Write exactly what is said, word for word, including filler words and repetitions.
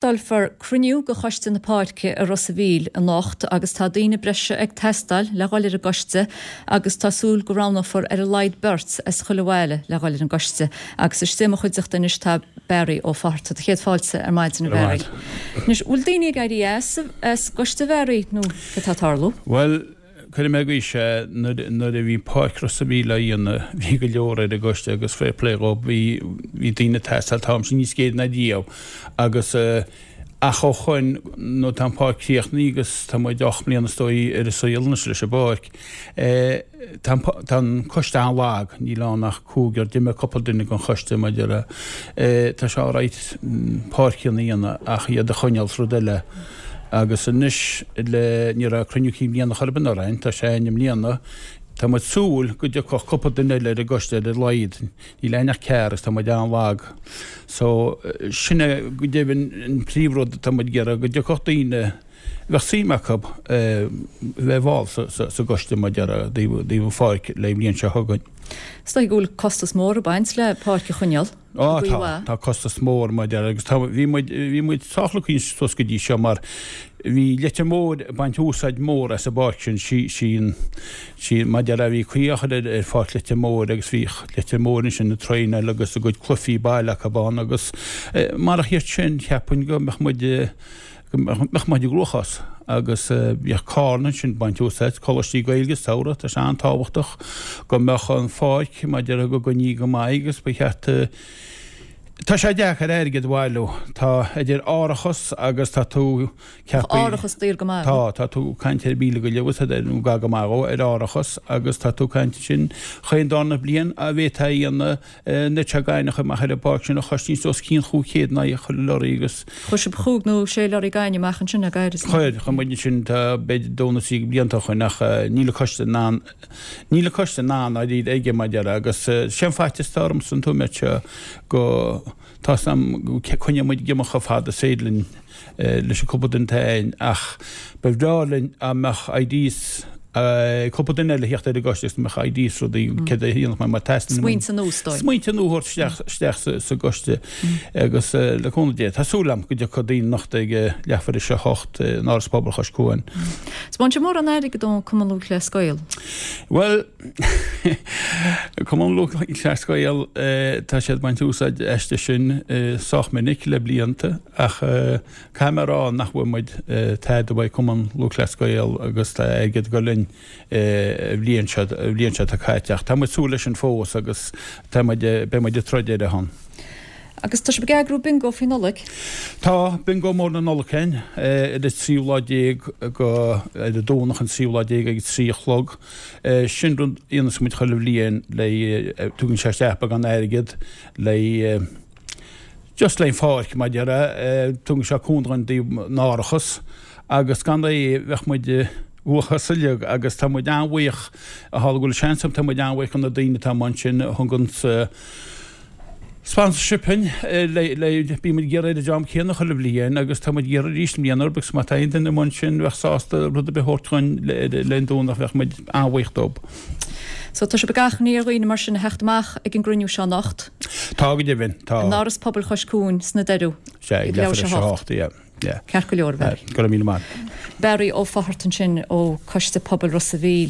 Reáchtálfar cruinniú de Choiste na Páirce i Ros a' Mhíl anocht agus tá daoine breise ag teastáil le dhul ar an gcoiste agus tá súil go roghnófar ar a laghad beirt as chuile bhaile le dhul ar an gcoiste agus istigh i mo chuideachta anois tá Barry Ó Fátharta. Tá céad fáilte ar maidin a Bharry. Anois bhfuil daoine ag éirí as as gcoiste Bharry nó cad tá ag tarlú? Bhuel, cuirfidh mé go sé nuair a bhí Páirc Ros a' Mhíl á dhéanamh bhí go leor ar an gcoiste agus fair play dhób bhí bhí daoine ag teastáil tá sin níos géire ná riamh agus ach ó shoin nó tá an pháirc críochnaithe agus tá muid ocht mbliana is dóigh ar an saol anois leis an bpáirc. Tá tá an coiste an-lag, níl ann ach cúigear, d'imigh cúpla duine den choiste maidir le tá sé alright páirceanna a dhéanamh ach iad a choinneáil is rud eile. Agus anois le ní raibh cruinniú cinn bliana chor ar bith anuraidh, tá sé i mbliana, tá muid súil go dtiocfadh cúpla duine eile ar an gcoiste ar a laghad. Níl aon ach ceathrar agus tá muid an-lag. So sin é go deimhin an príomhrud atá muid ag iarraidh, go dtiocfadh daoine a bheadh suim acu bheith i bhfáil sa gcoiste maidir le taobh an pháirc le bliain seo chugainn. Is dóigh go bhfuil costas mór ag baint le páirc a choinneáil. Á tá, tá costas mór maidir agus tá, bhí muid, bhí muid sách lucky suas go dtí seo mar bhí Leitir Móir ag baint úsáid mór as an bpáirc sin, sí, sí an, sí, maidir le bhí caoi á chur ar, ar pháirc Leitir Móir agus bhí Leitir Móir ansin ag traenáil agus a gcuid cluichí baile acu ann agus marach iad sin cheapfainn go mbeadh muid, go mbeadh muid i gcruachás agus bhíodh Carna ansin ag baint úsáid, coláistí Gaeilge sa samhradh, tá sé an-tábhachtach go mbeadh an pháirc maidir le go gcoinní go maith agus ba cheart Tá sé deacair airgead a bhailiú. Tá idir árachas agus tá tú ceaptha. Árachas daor go maith. Tá, tá tú ag caint ar mhíle go leith agus nó gar go maith dhó ar árachas agus tá tú ag caint ansin chaon darna bliain a bhféadfá a dhéanamh na te gainimh amach ar an bpáirc sin a chosnaíonn os cionn chúig chéad in aghaidh chuile lorry agus. Chuir sibh chúig nó sé lorry gainimh amach ansin ag éirí. Chuir, chuir muid ansin tá b'fhéidir dó nó trí blianta ó shoin ach níl an coiste in ann, níl an coiste in ann dáiríre aige mar a déarfá agus sé an faitíos atá ormsa an t-am seo go tá's a'm go coinneoidh muid ag imeacht chomh fada is féidir linn leis an cúpla duine atá againn ach ba bhreá linn dá mbeadh ideas cúpla duine eile a theacht ar an gcoiste agus mbeadh ideas rudaí céard a dhéanfadh mé mar teastaíonn Smaointe nua is dóigh. Smaointe nua a thabhairt isteach isteach sa sa gcoiste agus le cúnamh Dé tá súil agam go dtiocfaidh daoine anocht ag leathuair tar éis a hocht in Áras Pobail Chois Cuain. Is bhain sé mórán airgid ón Cumann Lúthchleas Gael. Bhuel Cumann Lúthchleas Gael tá siad ag baint úsáid aisti sin sách minic le blianta ach caithfidh mé a rá nach bhfuil muid tada uaidh Cumann Lúthchleas Gael agus tá airgead ag dul linn an bhliain seo an bhliain seo atá caite ach tá muid súil leis sin fós agus tá muid beidh muid ag troid ar a shon. Agus tá sibh ag eagrú bingo faoi Nollaig? Tá, bingo mór na Nollag againn ar an tríú lá déag go ar an Domhnach an tríú lá déag ag a trí a chlog. Sin rud a dhéanas muid chuile bhliain le tugann sé isteach beagán airgead le just le an pháirc mar a déarfá, tugann sé cúnamh don dtaobh an árachas agus gan é bheadh muid i bhfuathchás uilig agus tá muid an-bhuíoch a tharla go bhfuil seans agam tá muid an-bhuíoch do na daoine atá amuigh ansin a thugann sponsorship dhuinn le le bíonn muid ag iarraidh ar an dream céanna chuile bhliain agus tá muid ag iarraidh arís i mbliana orthu agus má tá aon duine amuigh ansin bheadh sásta rud ar bith a thabhairt dhuinn le le an Domhnach bheadh muid an-bhuíoch dóibh. So tá sibh ag achainí ar dhaoine mar sin a theacht amach ag an gcruinniú seo anocht. Tá go deimhin, tá. In Áras Pobail Chois Cuain sna Doireadh. Sea, ag leathuair tar éis a hocht, yeah, yeah. Ceart go leor, Barry. Go raibh míle maith. Barry Ó Fátharta ansin ó Coiste Pobail Ros a' Mhíl.